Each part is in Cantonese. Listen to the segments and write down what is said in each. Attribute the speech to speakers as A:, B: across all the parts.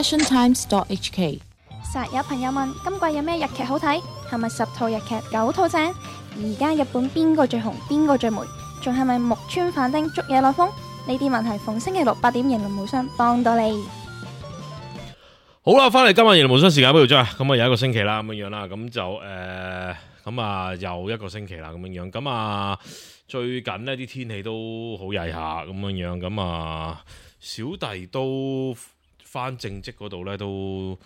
A: passiontimes.hk。
B: 實有朋友問今季有咩日劇好睇？係咪10套日劇9套正？而家日本邊個最紅？邊個最霉？仲係咪木村反町捉嘢落風？呢啲問題逢星期六8點型無雙幫到你。
C: 好啦，翻嚟今日型無雙時間俾條章，咁啊有一個星期啦咁樣樣啦，咁就咁啊又一個星期啦咁樣樣，咁啊最近呢啲天氣都好曳下咁樣樣，咁啊小弟都翻正職嗰度呢，都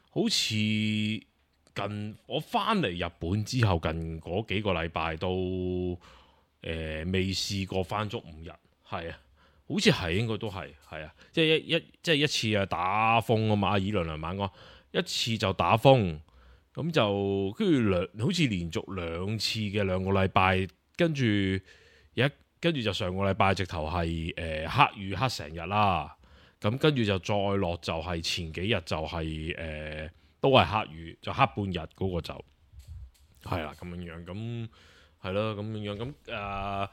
C: 好似我翻嚟日本之後近嗰幾個禮拜都未試過翻足5日，係啊。好似係應該都係啊，即係一次啊打風啊嘛，阿以娘晚講一次就打風，咁就跟住好似連續2次嘅2個禮拜，跟住就上個禮拜直頭係黑雨黑成日啦，咁跟住就再落就係前幾日就係都係黑雨，就黑半日嗰個就係啦咁樣樣，咁係咯咁樣樣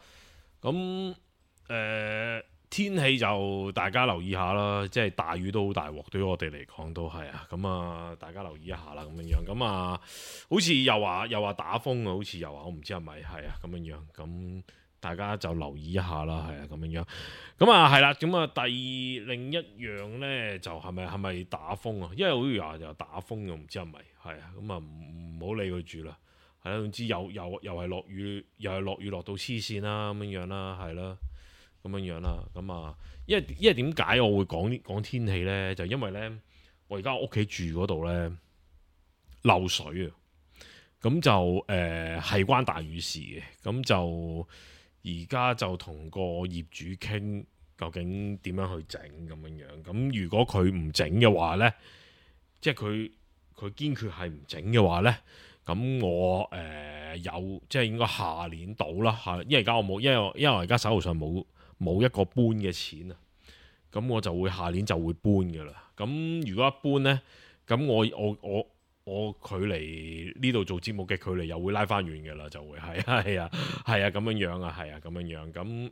C: 咁天氣就大家留意下啦，即係大雨都好大鑊，對於我哋嚟講都係啊。咁啊，大家留意一下啦，咁樣樣。咁啊，好似又話打風啊，好似又話我唔知係咪係啊咁樣樣。咁大家就留意一下啦，係啊咁樣樣。咁啊係啦，咁啊另一樣咧就係咪打風啊？因為好似話又打風又唔知係咪係啊。咁啊唔好理佢住啦。係啦，總之又係落雨，又係落雨落到黐線啦，咁樣樣啦，係啦。咁樣樣啦，咁啊，因為點解我會講天氣呢？就因為呢，我而家屋企住嗰度呢，漏水啊，咁就係關大雨事嘅，咁就而家就同個業主傾究竟點樣去整咁樣樣。咁如果佢唔整嘅話呢，即係佢堅決係唔整嘅話呢，咁我有即係應該下年到啦嚇，因為而家我冇，因為我而家手頭上冇一個搬嘅錢啊，咁我就會下年就會搬㗎啦。咁如果一搬呢，咁我距離呢度做節目嘅距離又會拉翻遠㗎啦，就會係啊咁樣樣啊，係啊咁樣樣。咁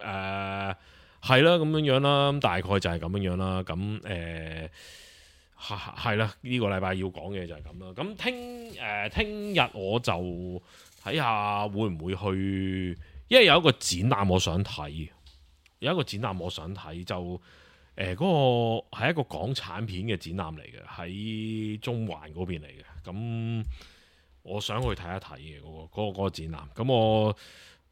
C: 係啦咁樣樣啦，大概就係咁樣樣啦。咁係啦，呢個禮拜要講嘅就係咁啦。咁聽日我就睇下會唔會去，因為有一個展覽我想睇。有一個展覽我想睇，就嗰個係一個港產片嘅展覽嚟嘅，喺中環嗰邊嚟嘅。咁我想去睇一睇嘅嗰個展覽。咁我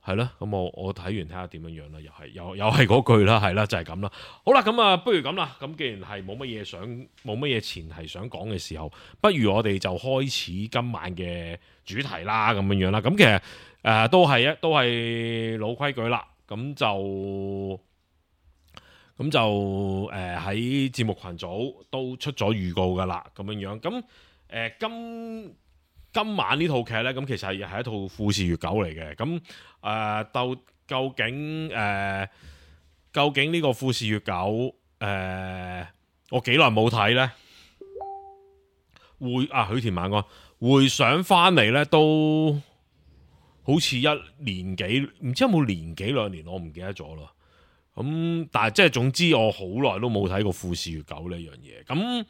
C: 係咯，咁我睇完睇下點樣樣啦，又係嗰句啦，係啦，就係咁啦。好啦，咁啊，不如咁啦。咁既然係冇乜嘢前提想講嘅時候，不如我哋就開始今晚嘅主題啦，咁樣樣啦。咁其實都係老規矩啦。咁就喺節目群組都出咗預告噶啦，咁樣樣。咁今晚呢套劇呢，咁其實係一套富士月九嚟嘅。咁究竟呢個富士月九我幾耐冇睇呢？許田晚安回想翻嚟呢都。好似1年幾，唔知有冇年幾2年，我唔記得咗啦。咁但係即係總之，我好耐都冇睇過富士月九呢樣嘢。咁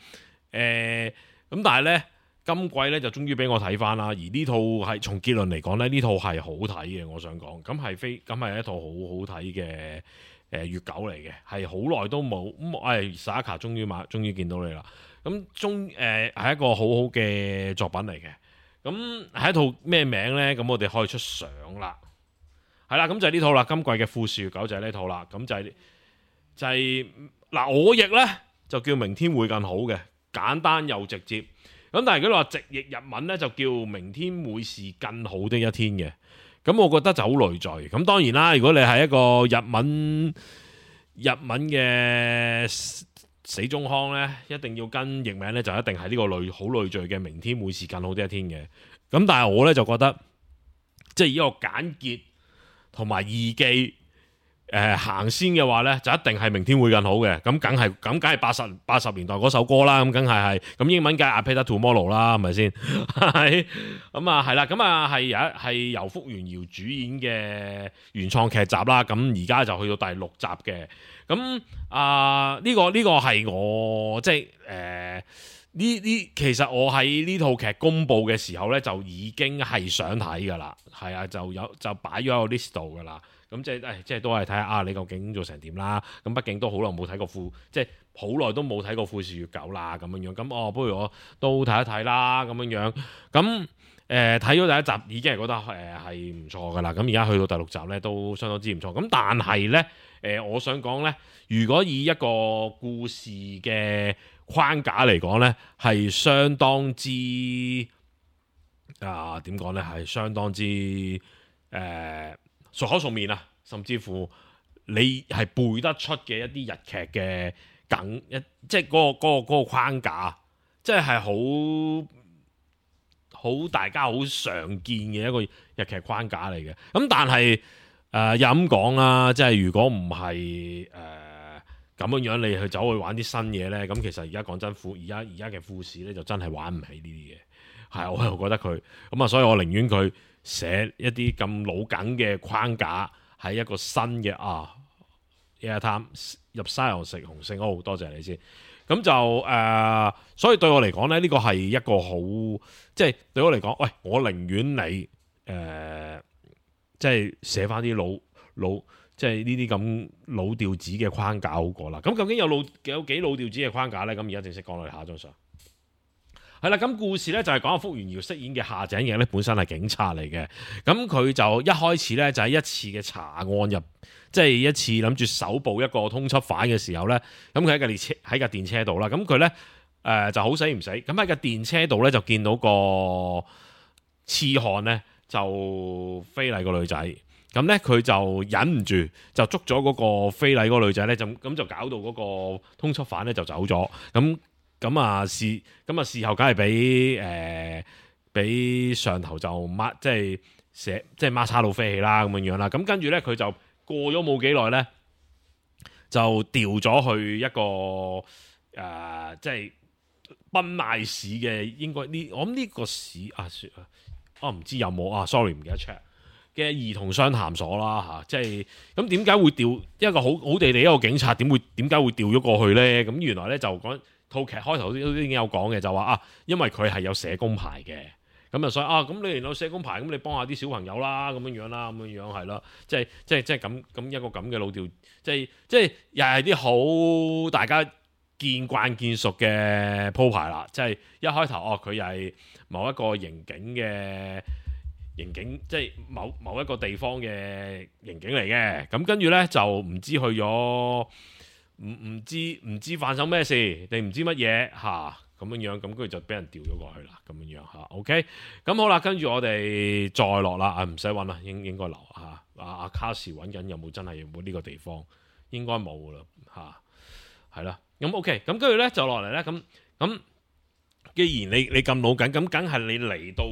C: 但係呢，今季呢就終於俾我睇翻啦。而呢套係從結論嚟講呢，呢套係好睇嘅。我想講，咁係一套好好睇嘅月九嚟嘅，係好耐都冇。Saka 終於見到你啦。咁係一個好好嘅作品嚟嘅。咁係一套咩名呢？咁我哋可以出相啦，係啦，咁就係呢套啦。今季嘅富士月九就係呢套啦。咁就係嗱，我譯呢就叫明天會更好嘅，簡單又直接。咁但係如果你話直譯日文呢，就叫明天會是更好的一天嘅。咁我覺得就好累贅。咁當然啦，如果你係一個日文嘅死忠康呢，一定要跟譯名呢，就一定係呢個好累贅嘅明天會是更好的一天嘅。咁但係我呢，就覺得，即係呢個簡潔同埋易記，行先嘅話咧，就一定係明天會更好嘅。咁梗係80年代嗰首歌啦。咁梗係咁英文梗係 A Better Tomorrow 啦，係咪先？係咁啊，係啦。咁啊係由福原遙主演嘅原創劇集啦。咁而家就去到第6集嘅。咁呢個係我即係其實我喺呢套劇公佈嘅時候咧，就已經係想睇㗎啦。係啊，就擺咗喺個 list 度㗎啦。咁即係都係睇下你究竟做成點啦。咁畢竟都好耐冇睇過即係好耐都冇睇過富士月九啦咁樣樣。咁不如我都睇一睇啦咁樣樣。咁睇咗第1集已經係覺得係唔錯噶啦。咁而家去到第6集咧都相當之唔錯。咁但係咧我想講咧，如果以一個故事嘅框架嚟講咧，係相當之點講咧，係相當之熟口熟面啊，甚至乎你係背得出嘅一啲日劇嘅梗，即係嗰個框架，即係好大家好常見嘅一個日劇框架嚟嘅。咁但係又咁講啦，即係如果唔係咁樣你去走去玩啲新嘢咧，咁其實而家講真而家嘅富士咧就真係玩唔起呢啲嘢。係，我又覺得佢咁啊，所以我寧願佢寫一啲咁老梗嘅框架喺一個新嘅Airtime 入西洋食紅星，好多謝你先。咁就所以對我嚟講咧，呢個係一個好，即係對我嚟講，喂，我寧願你即係寫翻啲老即係呢啲咁老調子嘅框架好過啦。咁究竟有幾老調子嘅框架咧？咁而家正式講落嚟下一張相。係啦，咁故事咧就係講阿福原遙飾演嘅夏井翼咧，本身係警察嚟嘅。咁佢就一開始咧就喺一次嘅查案入，即係一次諗住搜捕一個通緝犯嘅時候咧，咁佢喺架電車度啦。咁佢咧就好死唔死，咁喺架電車度咧就見到個痴漢咧就非禮個女仔，咁咧佢就忍唔住就捉咗嗰個非禮嗰個女仔咧，就搞到嗰個通緝犯咧就走咗。咁啊事後梗係俾上頭就即係孖叉到飛起啦咁樣啦。咁跟住咧佢就過咗冇幾耐咧，就調咗去一個即係濱瀨市嘅，應該我諗呢個市唔知有冇sorry 唔記得 check 嘅兒童相談所啦嚇。即係咁點解會調一個好地地一個警察點解會調咗過去咧？咁原來咧就講。套劇開頭都已經有講嘅，就話因為佢係有社工牌嘅，咁啊所以咁你有社工牌，咁你幫下啲小朋友啦，咁樣啦，咁樣係啦，即係咁一個咁嘅老調，即係又係啲好大家見慣見熟嘅鋪排啦，即係一開頭佢又係某一個刑警，即係某一個地方嘅刑警嚟嘅，咁跟住咧就唔知去咗。唔知發生咩事，定唔知乜嘢咁樣，咁跟住就俾人調咗過去啦，咁樣OK，咁好啦，跟住我哋再落啦，唔使揾啦，應該留阿卡士揾緊有冇真係有冇呢個地方，應該冇啦係啦，咁 OK，咁跟住咧就落嚟咧，咁既然你咁老緊，咁梗係你嚟到。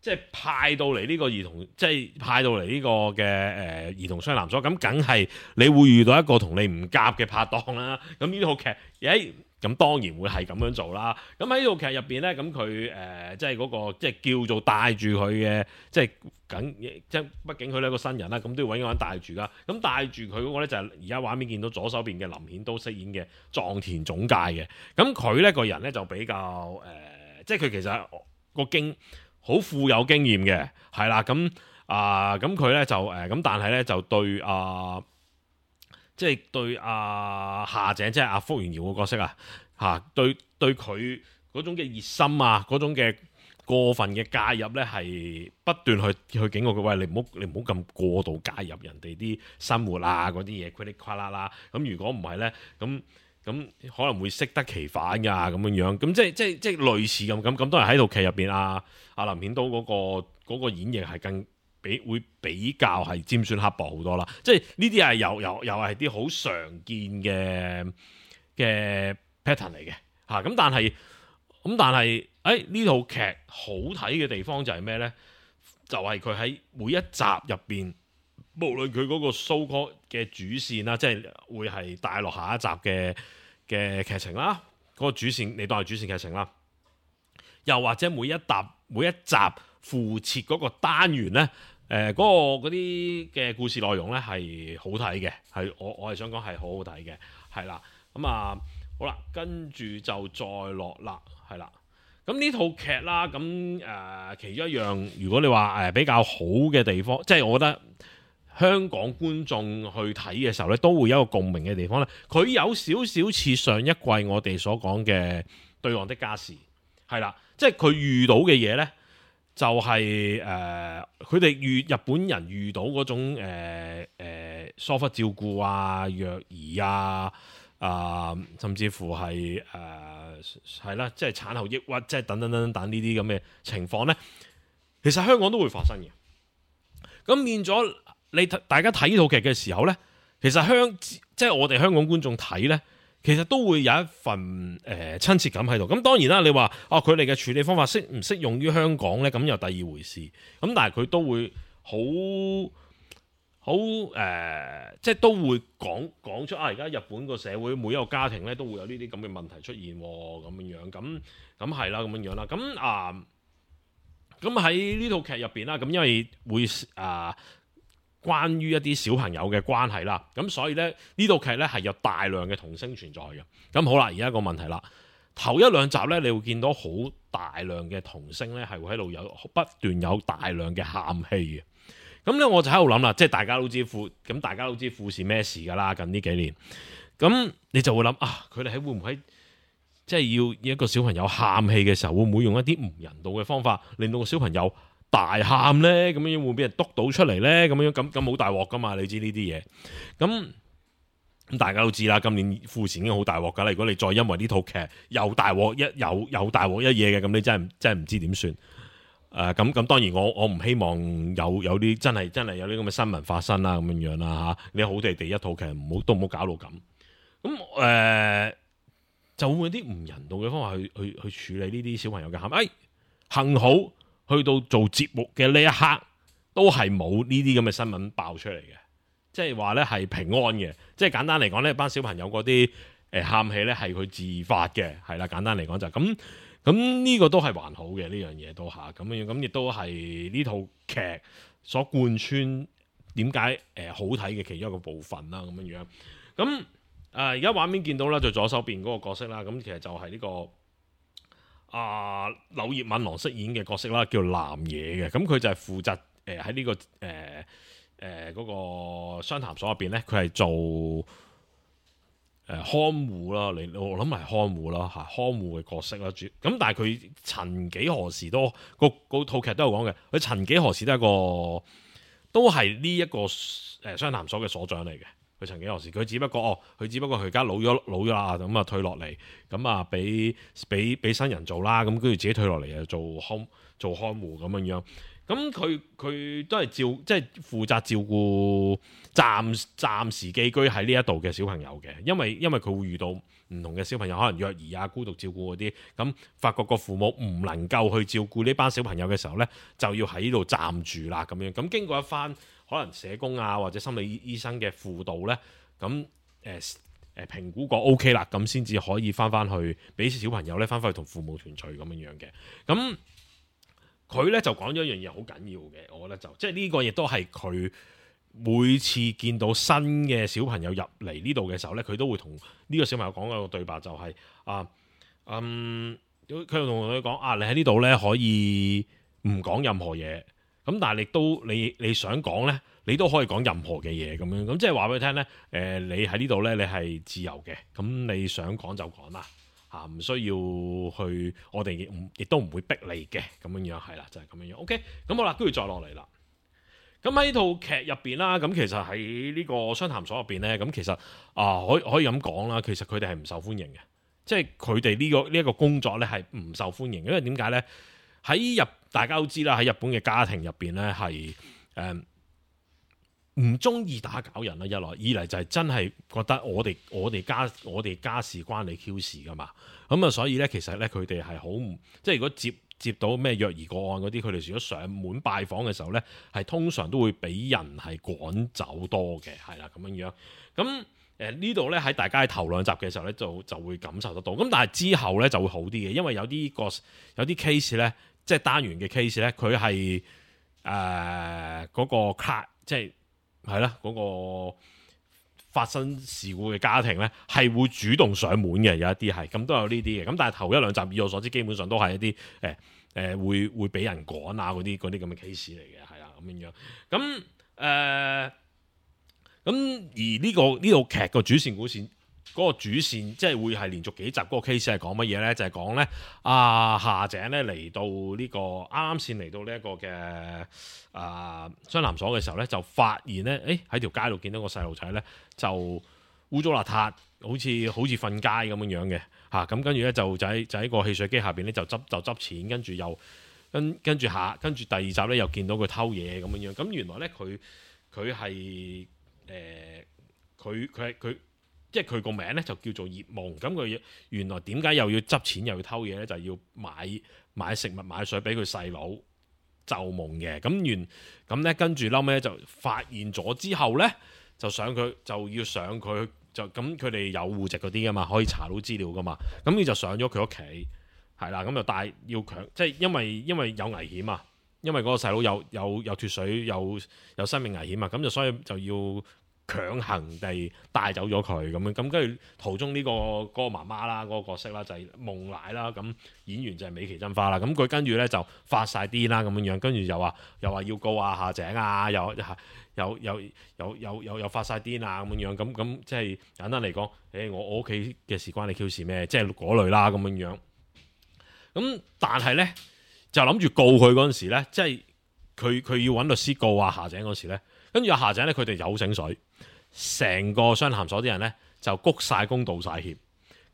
C: 即係派到嚟呢個兒童，即係派到嚟呢個嘅兒童相談所，咁梗係你會遇到一個同你唔夾嘅拍檔啦。咁呢套劇，咁當然會係咁樣做啦。咁喺呢套劇入邊咧，咁佢即係嗰個即係叫做帶住佢嘅，即係畢竟佢係一個新人啦，咁都要揾個人帶住噶。咁帶住佢嗰個咧就係而家畫面見到左手邊嘅林顯都飾演嘅藏田總介嘅。咁佢咧個人咧就比較即係佢其實個好富有經驗嘅，係啦，咁佢咧就咁，但係咧就對即係對夏井，即係阿福原遙個角色對佢嗰種嘅熱心嗰種嘅過分嘅介入咧，係不斷去警告佢，喂，你唔好咁過度介入人哋啲生活嗰啲嘢，噼里啪啦啦，咁如果唔係咧，咁可能會適得其反㗎，咁樣，咁即係類似咁，當然喺套劇入邊阿林顯都嗰個演繹係會比較係尖酸刻薄好多啦，即係呢啲係又係啲好常見嘅 pattern 嚟嘅咁但係呢套劇好睇嘅地方就係咩咧？就係佢喺每一集入邊無論佢嗰個 so call 嘅主線啦，即係會係帶落下一集嘅劇情啦，嗰、個主線你當係主線劇情啦，又或者每一集附設嗰個單元咧，嗰啲嘅故事內容咧係好睇嘅，係我係想講係好好睇嘅，係啦，咁啊好啦，跟住就再落啦，係啦。咁呢套劇啦，咁其中一樣，如果你話比較好嘅地方，即係我覺得香港觀眾去睇嘅時候咧，都會有一個共鳴嘅地方咧。佢有少少似上一季我哋所講嘅《對岸的家事》，係啦，即係佢遇到嘅嘢咧，就係佢哋日本人遇到嗰種疏忽照顧啊、虐兒啊。甚至乎係係啦，即係產後抑鬱，即係等等呢啲咁嘅情況咧，其實香港都會發生嘅。咁變咗大家睇呢套劇嘅時候咧，其實即係我哋香港觀眾睇咧，其實都會有一份親切感喺度。咁當然啦，你話佢哋嘅處理方法適唔適用於香港咧？咁又第二回事。咁但係佢都會好即係都會講出而家日本個社會每一個家庭咧都會有呢啲咁嘅問題出現咁樣，咁係啦，咁樣啦，咁喺呢套劇入邊啦，咁因為會關於一啲小朋友嘅關係啦，咁所以咧呢套劇咧係有大量嘅童聲存在嘅。咁好啦，而家個問題啦，頭一兩集咧你會見到好大量嘅童聲咧係會喺度不斷有大量嘅喊戲嘅。咁咧我就喺度諗啦，即係大家都知富士咩事㗎啦，近呢幾年，咁你就會諗佢哋會唔會即係要一個小朋友喊戲嘅時候，會唔會用一啲唔人道嘅方法，令到個小朋友大喊咧？咁樣會唔會俾人督到出嚟咧？咁好大鑊㗎嘛？你知呢啲嘢，咁大家都知啦，今年富士已經好大鑊㗎啦。如果你再因為呢套劇又大鑊一嘢嘅，咁你真係唔知點算。咁當然我唔希望有啲真係有啲咁嘅新聞發生啦，咁樣啦嚇。你好地一套劇都唔好搞到咁。咁就會唔會啲唔人道嘅方法去處理呢啲小朋友嘅喊？幸好去到做節目嘅呢一刻，都係冇呢啲咁嘅新聞爆出嚟嘅，即係話咧係平安嘅。即係簡單嚟講呢班小朋友嗰啲喊氣咧係佢自發嘅，係啦。簡單嚟講就係咁。咁呢個都係還好嘅，呢樣嘢都咁樣，咁亦都係呢套劇所貫穿點解好睇嘅其中一個部分啦，咁樣。咁而家畫面見到啦，就左手邊嗰個角色啦，咁其實就係呢個柳葉敏郎飾演嘅角色啦，叫南野嘅。咁佢就係負責喺呢個嗰個商談所入邊咧，佢係做看護啦，我諗係看護啦嚇，看護嘅角色啦，咁但係佢曾幾何時都個套劇都有講嘅，佢曾幾何時都係呢一個商談所嘅所長嚟嘅。佢曾幾何時，佢只不過佢而家老咗啦，咁退落嚟，咁俾新人做啦，咁跟住自己退落嚟又做看護咁樣。咁佢都係即係負責照顧暫時寄居喺呢一度嘅小朋友嘅，因為佢會遇到唔同嘅小朋友，可能虐兒啊、孤獨照顧嗰啲，咁發覺個父母唔能夠去照顧呢班小朋友嘅時候呢，就要喺呢度暫住啦咁樣。咁經過一番可能社工啊或者心理醫生嘅輔導呢，咁評估過 OK 啦，咁先至可以翻去俾小朋友呢翻去同父母團聚咁樣嘅。咁佢咧就講咗一樣嘢好緊要嘅，我覺得即係呢個亦都係佢每次見到新嘅小朋友入嚟呢度嘅時候咧，佢都會同呢個小朋友講一個對白，就係佢同佢講你喺呢度咧可以唔講任何嘢，咁但係你想講咧，你都可以講任何嘅嘢咁樣，咁即係話俾佢聽咧，你喺呢度咧你係自由嘅，咁你想講就講啦。唔需要去，我哋亦都唔會逼你嘅，咁樣係啦，就係咁樣。OK，咁好啦，跟住再落嚟啦。咁喺呢套劇入邊啦，咁其實喺呢個商談所入邊咧，咁其實可以咁講啦，其實佢哋係唔受歡迎嘅，即係佢哋呢一個工作咧係唔受歡迎，因為點解咧？大家都知啦，喺日本嘅家庭入邊咧係唔中意打攪人啦，二嚟就係真係覺得我哋家事關你 Q 事噶嘛，咁所以咧其實咧佢哋係好唔即係如果接到咩虐兒個案嗰啲，佢哋如果上門拜訪嘅時候呢，係通常都會俾人係趕走多嘅，係啦咁樣樣。咁呢度呢，喺大家喺頭兩集嘅時候呢，就會感受得到。咁但係之後呢，就會好啲嘅，因為有啲 case 呢，即係單元嘅 case 呢，佢係嗰個卡，即係啦嗰個發生事故嘅家庭呢，係會主動上門嘅，有一啲係咁都有呢啲嘅。咁但係頭一兩集以我所知，基本上都係一啲會俾人趕啊嗰啲咁嘅 case 嚟嘅，係啦咁樣樣。咁而呢套劇個主線嗰個主線即係會係連續幾集嗰個 case 係講乜嘢呢？就係講呢夏井呢嚟到呢個啱啱先嚟到呢一個嘅雙男所嘅時候呢，就發現呢，喺條街度見到個細路仔呢，就污糟邋遢，好似瞓街咁樣樣嘅嚇。咁跟住呢，就喺個汽水機下邊呢，就執錢，跟住又跟住第二集呢，又見到佢偷嘢咁樣樣。咁原來呢，佢係佢即係佢個名咧就叫做葉夢。咁佢原來點解又要執錢又要偷嘢咧？就係要買食物買水俾佢細佬就夢嘅。咁咧跟住後尾就發現咗之後咧，就要上佢就咁佢哋有戶籍嗰啲噶嘛，可以查到資料噶嘛。咁你就上咗佢屋企係啦，咁就要強，即係因為有危險啊，因為嗰個細佬有脫水有生命危險啊，咁就所以就要強行地帶走咗佢咁樣，咁跟住途中呢個媽媽啦，嗰個角色啦就係夢奶啦，咁演員就係美琪真花啦，咁佢跟住咧就發晒癲啦咁樣樣，跟住又話要告夏井啊，又發晒癲啊咁樣樣，咁即係簡單嚟講，我屋企嘅事關你 Q 事咩？即係嗰類啦咁樣樣。咁但係咧就諗住告佢嗰陣時咧，即係佢要揾律師告夏井嗰時咧，跟住夏井咧佢哋有醒水。成個雙談所啲人咧就鞠晒躬道晒歉，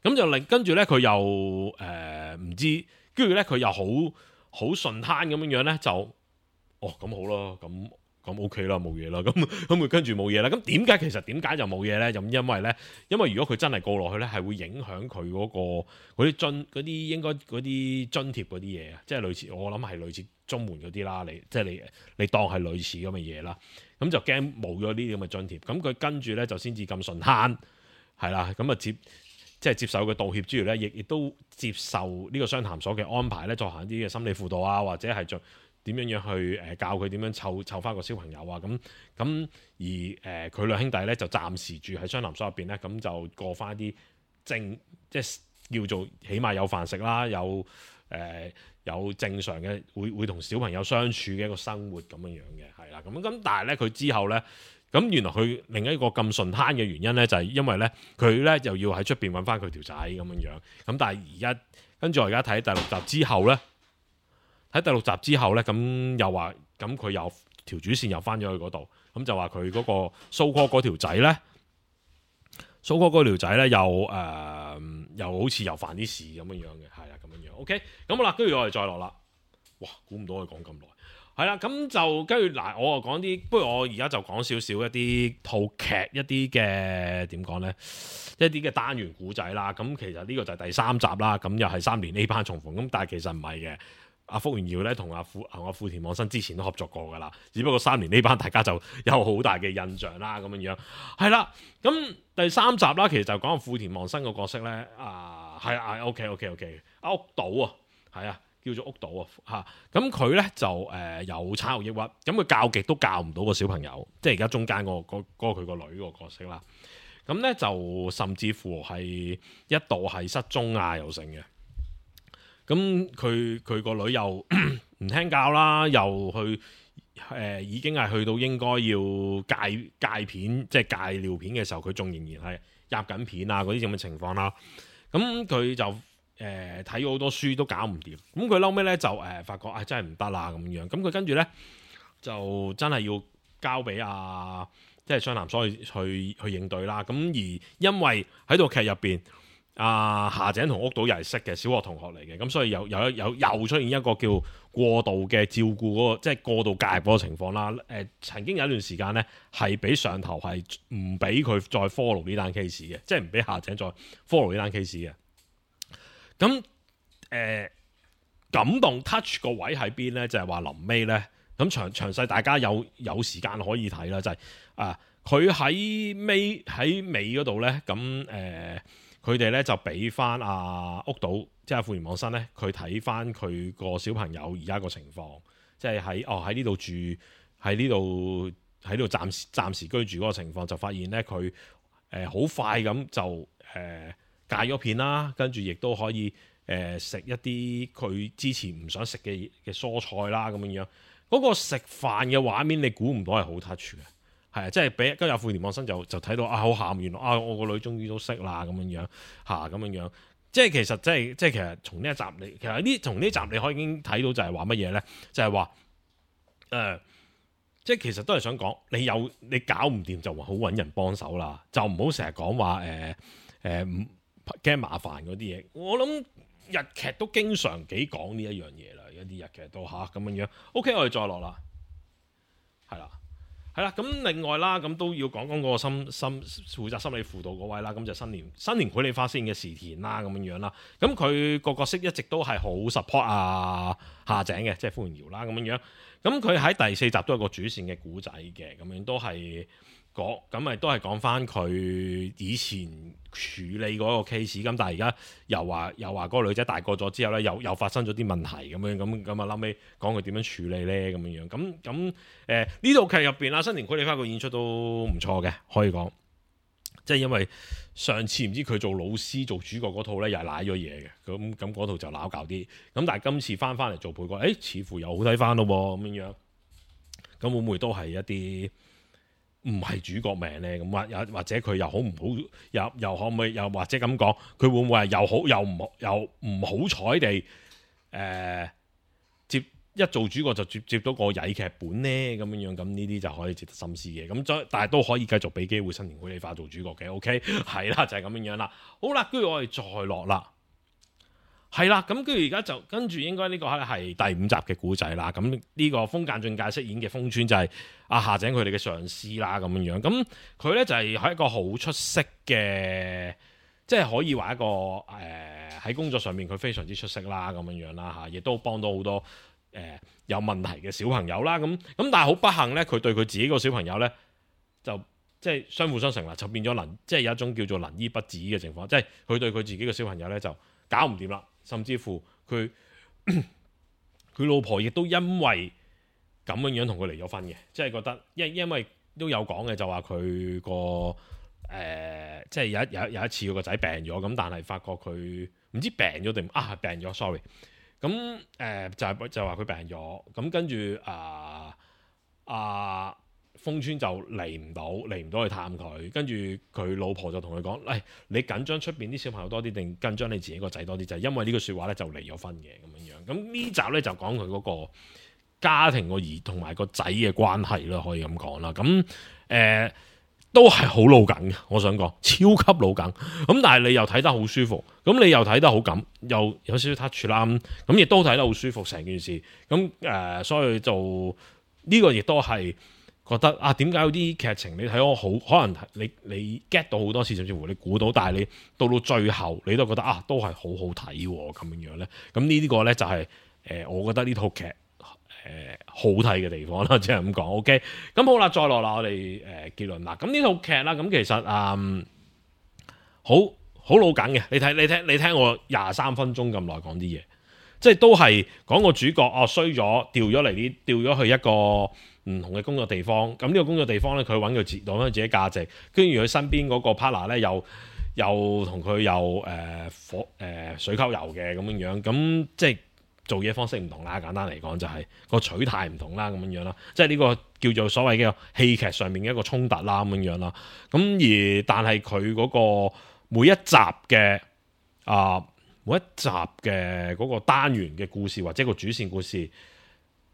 C: 咁就跟住咧佢又唔知，跟住咧佢又好順攤咁樣咧就咁好啦，咁 OK 啦，冇嘢啦，咁佢跟住冇嘢啦。咁點解就冇嘢咧？咁因為如果佢真係告落去咧，係會影響佢嗰啲應該嗰啲津貼嗰啲嘢啊，即係類似我諗係類似綜援嗰啲啦，你當係類似咁嘅嘢啦。咁就驚冇咗呢啲咁嘅津貼，咁佢跟住咧就先至咁順攤，係啦，咁啊接受佢道歉之餘咧，亦都接受呢個雙談所嘅安排咧，進行一啲嘅心理輔導啊，或者係做點樣去教佢點樣湊翻個小朋友啊，咁而佢兩兄弟咧就暫時住喺雙談所入邊咧，咁就過翻啲即係叫做起碼有飯食啦，有正常嘅會同小朋友相處嘅一個生活咁樣樣嘅，係啦，咁但係咧佢之後咧，咁原來佢另一個咁順攤嘅原因咧，就係因為咧佢咧又要喺出邊揾翻佢條仔咁樣樣，咁但係跟住我而家睇第六集之後咧，咁又話咁佢又條主線又翻咗去嗰度，咁就話佢嗰個蘇哥嗰條仔咧。蘇哥嗰條仔咧又好似又犯啲事咁樣樣嘅，係啦咁樣樣。OK，咁好啦，跟住我哋再落啦。哇，估唔到我哋講咁耐。係啦，咁就跟住嗱，我講啲，不如我而家就講少少一啲套劇一啲嘅點講咧，一啲嘅單元故仔啦。咁其實呢個就係第三集啦。咁又係3年 A 班重逢。咁但係其實唔係嘅。阿福原遙咧同阿富田望生之前都合作過噶啦，只不過3年呢班大家就有好大嘅印象啦咁樣樣，係啦。咁第三集啦，其實就講阿富田望生個角色咧，係 OK，阿屋島啊，係啊，叫做屋島啊嚇。咁佢咧就有產後抑鬱，咁佢教極都教唔到個小朋友，即係而家中間嗰個佢個女個角色啦。咁咧就甚至乎係一度係失蹤啊又成嘅。咁佢個女又唔聽教啦，又去已經係去到應該要戒片，即係戒尿片嘅時候，佢仲仍然係入緊片啊嗰啲咁嘅情況啦。咁佢就睇咗好多書都搞唔掂。咁佢後尾咧就發覺真係唔得啦咁樣。咁佢跟住咧就真係要交俾即係雙男所去應對啦。咁而因為喺套劇入邊。夏井同屋島又係識嘅小學同學嚟嘅，咁所以又出現一個叫過度嘅照顧嗰個，即係過度介入嗰個情況啦。曾經有一段時間咧，係俾上頭係唔俾佢再 follow 呢單 case 嘅，即係唔俾夏井再 follow 呢單 case 嘅。咁感動 touch 個位喺邊咧？就係話臨尾咧，咁詳細大家有時間可以睇啦，就係佢喺尾嗰度咧，咁佢哋咧就俾翻阿屋島，即係富田望生咧，佢睇翻佢個小朋友而家個情況，即係喺呢度住，喺呢度暫時居住嗰個情況，就發現咧佢好快咁就戒咗片啦，跟住亦都可以食一啲佢之前唔想食嘅蔬菜啦，咁樣樣嗰個食飯嘅畫面，你估唔到係好 touch 嘅。係啊，即係俾跟住富田望生就睇到好喊，原來我個女終於都識啦咁樣樣咁樣樣，即係其實即係其實從呢一集從呢集你可以已經睇到就係話乜嘢咧？就係話即係其實都係想講你搞唔掂就好揾人幫手啦，就唔好成日講話驚麻煩嗰啲嘢。我諗日劇都經常幾講呢一樣嘢啦，一啲日劇都咁樣樣。OK， 我哋再落啦，係啦，咁另外啦，咁都要講嗰個負責心理輔導嗰位啦，咁就新年繪梨花飾演嘅時田啦，咁樣樣啦，咁佢個角色一直都係好 support 夏井嘅，即係富田遙啦，咁樣樣，咁佢喺第4集都有個主線嘅故仔嘅，咁樣都係咁咪都係講翻佢以前處理嗰個 case，咁但係而家又話嗰個女仔大個咗之後咧，又發生咗啲問題咁樣，咁啊後尾講佢點樣處理咧，咁樣樣，咁呢套劇入邊啦，新年繪梨花個演出都唔錯嘅，可以講，即係因為上次唔知佢做老師做主角嗰套咧，又係瀨咗嘢嘅，咁嗰套就撈搞啲，咁但係今次翻嚟做配角，似乎又好睇翻咯喎，咁樣，咁會唔會都係一啲唔係主角命咧？咁或者佢又好唔好？又可唔可以？又或者咁講，佢會唔會係又好又唔好彩地一做主角就接到個曳劇本咧？咁樣咁呢啲就可以值得深思嘅。咁但係都可以繼續俾機會新年繪梨花做主角嘅。OK， 係啦，就係咁樣啦。好啦，跟住我哋再落啦。係啦，咁跟住而家就跟住應該呢個係第5集嘅故仔啦。咁呢個風間俊介飾演嘅風川就係夏井佢哋嘅上司啦，咁樣樣。咁佢咧就係一個好出色嘅，即係可以話一個喺工作上面佢非常之出色啦，咁樣樣啦亦都幫到好多有問題嘅小朋友啦。咁但係好不幸咧，佢對佢自己個小朋友咧就即係相輔相成啦，就變咗即係有一種叫做能醫不治嘅情況，即係佢對佢自己嘅小朋友咧就搞唔掂啦。甚至乎佢老婆亦都因為咁樣同佢離咗婚嘅，即係覺得因為都有講嘅，就話佢個即係有一次佢個仔病咗，咁但係發覺佢唔知病咗定病咗 sorry， 咁就話佢病咗，咁跟住風川就嚟唔到去探佢，跟住佢老婆就同佢講：你緊張出邊啲小朋友多啲，定緊張你自己個仔多啲？就係因為呢個説話咧，就離咗婚嘅咁樣。咁呢集咧就講佢嗰個家庭個兒同埋個仔嘅關係啦，可以咁講啦。咁都係好老梗嘅，我想講超級老梗。咁但係你又睇得好舒服，咁你又睇得好感，又有少少 touch 啦。咁亦都睇得好舒服成件事。咁所以就呢個亦都係。覺得點解有啲劇情你睇我好，可能你 get 到好多次，甚至乎你估到，但係你到最後你都覺得都係好好睇喎，咁樣咧。咁呢個咧就係我覺得呢套劇好睇嘅地方啦，即係咁講。OK， 咁好啦，再落啦，我哋結論啦。咁呢套劇啦，咁其實好老梗嘅。你聽我23分鐘咁耐講啲嘢，即係都係講個主角衰咗，調咗去一個唔同嘅工作地方，咁呢個工作地方咧，佢揾佢自己價值，跟住佢身邊嗰個 partner 咧，又同佢水溝油嘅咁樣，咁即係做嘢方式唔同啦。簡單嚟講就係個取態唔同啦，咁樣啦，即係呢個叫做所謂嘅戲劇上面嘅一個衝突啦，咁樣啦。咁但係佢嗰個每一集嘅嗰個單元嘅故事或者個主線故事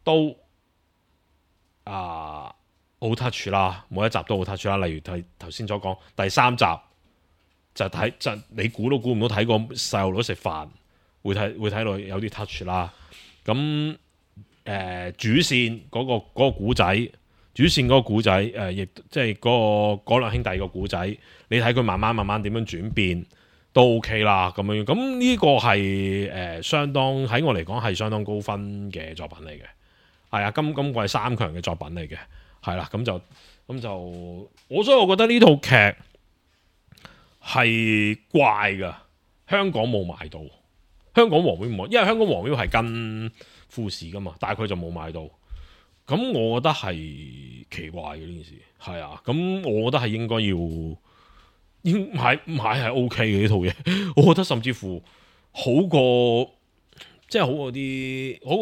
C: 都好 touch 啦，每一集都好 touch 啦。例如頭先所講第3集就你估都估唔到，睇個細路女食飯會睇到有啲 touch 啦。咁主線嗰個古仔，亦即係嗰兩兄弟個古仔，你睇佢慢慢點樣轉變，都 OK 啦咁樣。咁呢個係相當喺我嚟講係相當高分嘅作品嚟嘅，係啊，今季3強嘅作品嚟嘅，係啦，咁就所以我覺得呢套劇係怪噶，香港冇買到，香港黃標冇，因為香港黃標係跟富士噶嘛，但係佢就冇買到。咁我覺得係奇怪嘅呢件事，係啊，咁我覺得係應該要買係 OK 嘅呢套嘢，我覺得甚至乎好過，即係好過啲，好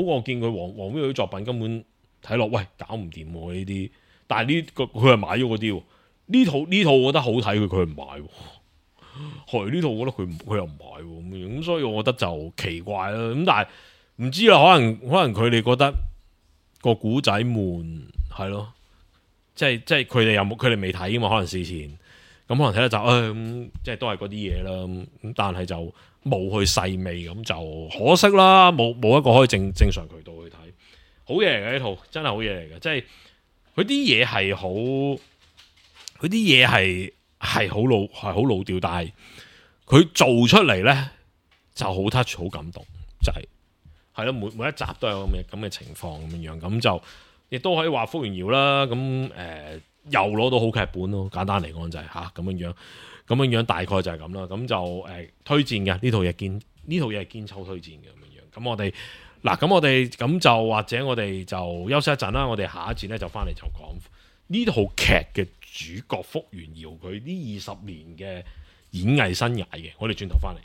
C: 過見佢黃標啲作品根本睇落，喂，搞唔掂呢啲，但係呢個佢係買咗嗰啲，呢套我覺得好睇，佢唔買，係呢套我覺得佢又唔買咁所以我覺得就奇怪啦。咁但係唔知啦，可能佢哋覺得個古仔悶，係咯，即係佢哋未睇噶嘛，可能事前咁可能睇得就即係都係嗰啲嘢啦。咁但係就冇去細味，咁就可惜啦，冇一個可以正常渠道去睇。好嘢嚟嘅呢套，真係好嘢嚟嘅，即係佢啲嘢係好，佢啲嘢係好老調，但係佢做出嚟咧就好 touch， 好感動，就係咯，每一集都有咁嘅情況咁樣，咁就亦都可以話福原遙啦。咁又攞到好劇本咯，簡單嚟講就係咁樣大概就係咁啦。咁就推薦嘅呢套嘢係堅抽推薦嘅咁樣。咁我哋咁就或者我哋就休息一陣啦。我哋下一節咧就翻嚟就講呢套劇嘅主角福原遙佢呢20年嘅演藝生涯嘅。我哋轉頭翻嚟。